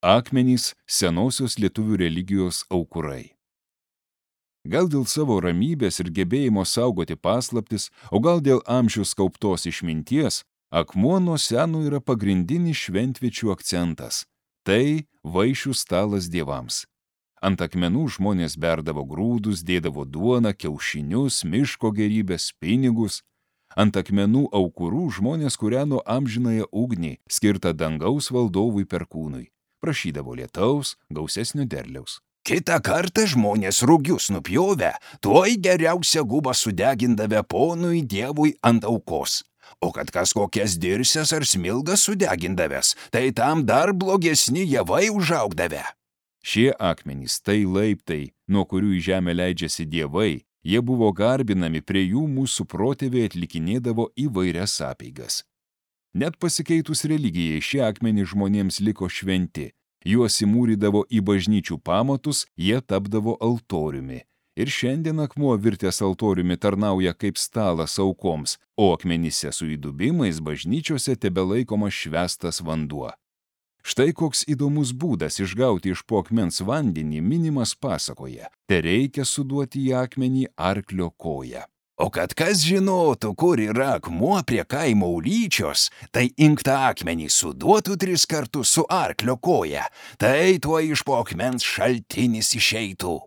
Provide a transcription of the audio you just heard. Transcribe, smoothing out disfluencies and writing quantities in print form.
Akmenys senosios lietuvių religijos aukurai. Gal dėl savo ramybės ir gebėjimo saugoti paslaptis, o gal dėl amžius kauptos išminties, akmuo nuo seno yra pagrindinis šventviečių akcentas. Tai vaišių stalas dievams. Ant akmenų žmonės berdavo grūdus, dėdavo duoną, kiaušinius, miško gerybės, pinigus. Ant akmenų aukurų žmonės kūreno amžinąją ugnį, skirtą dangaus valdovui Perkūnui. Prašydavo lietaus, gausesnio derliaus. Kitą kartą žmonės rugius nupjovę, tuoj geriausią gubą sudegindavę ponui dievui ant aukos. O kad kas kokias dirsės ar smilgas sudegindavęs, tai tam dar blogesni javai užaugdavę. Šie akmenys tai laiptai, nuo kurių į žemę leidžiasi dievai, jie buvo garbinami, prie jų mūsų protėviai atlikinėdavo įvairias apeigas. Net pasikeitus religijai šie akmenys žmonėms liko šventi. Juos įmūrydavo į bažnyčių pamatus, jie tapdavo altoriumi. Ir šiandien akmuo virtęs altoriumi tarnauja kaip stalas aukoms, o akmenyse su įdubimais bažnyčiose tebelaikomas švęstas vanduo. Štai koks įdomus būdas išgauti iš po akmens vandenį minimas pasakoje. Tereikia suduoti į akmenį arklio koją. O kad kas žinotų, kur yra akmuo prie kaimo ulyčios, tai inktą akmenį suduotų 3 kartus su arklio koja, tai tuo iš po akmens šaltinis išeitų.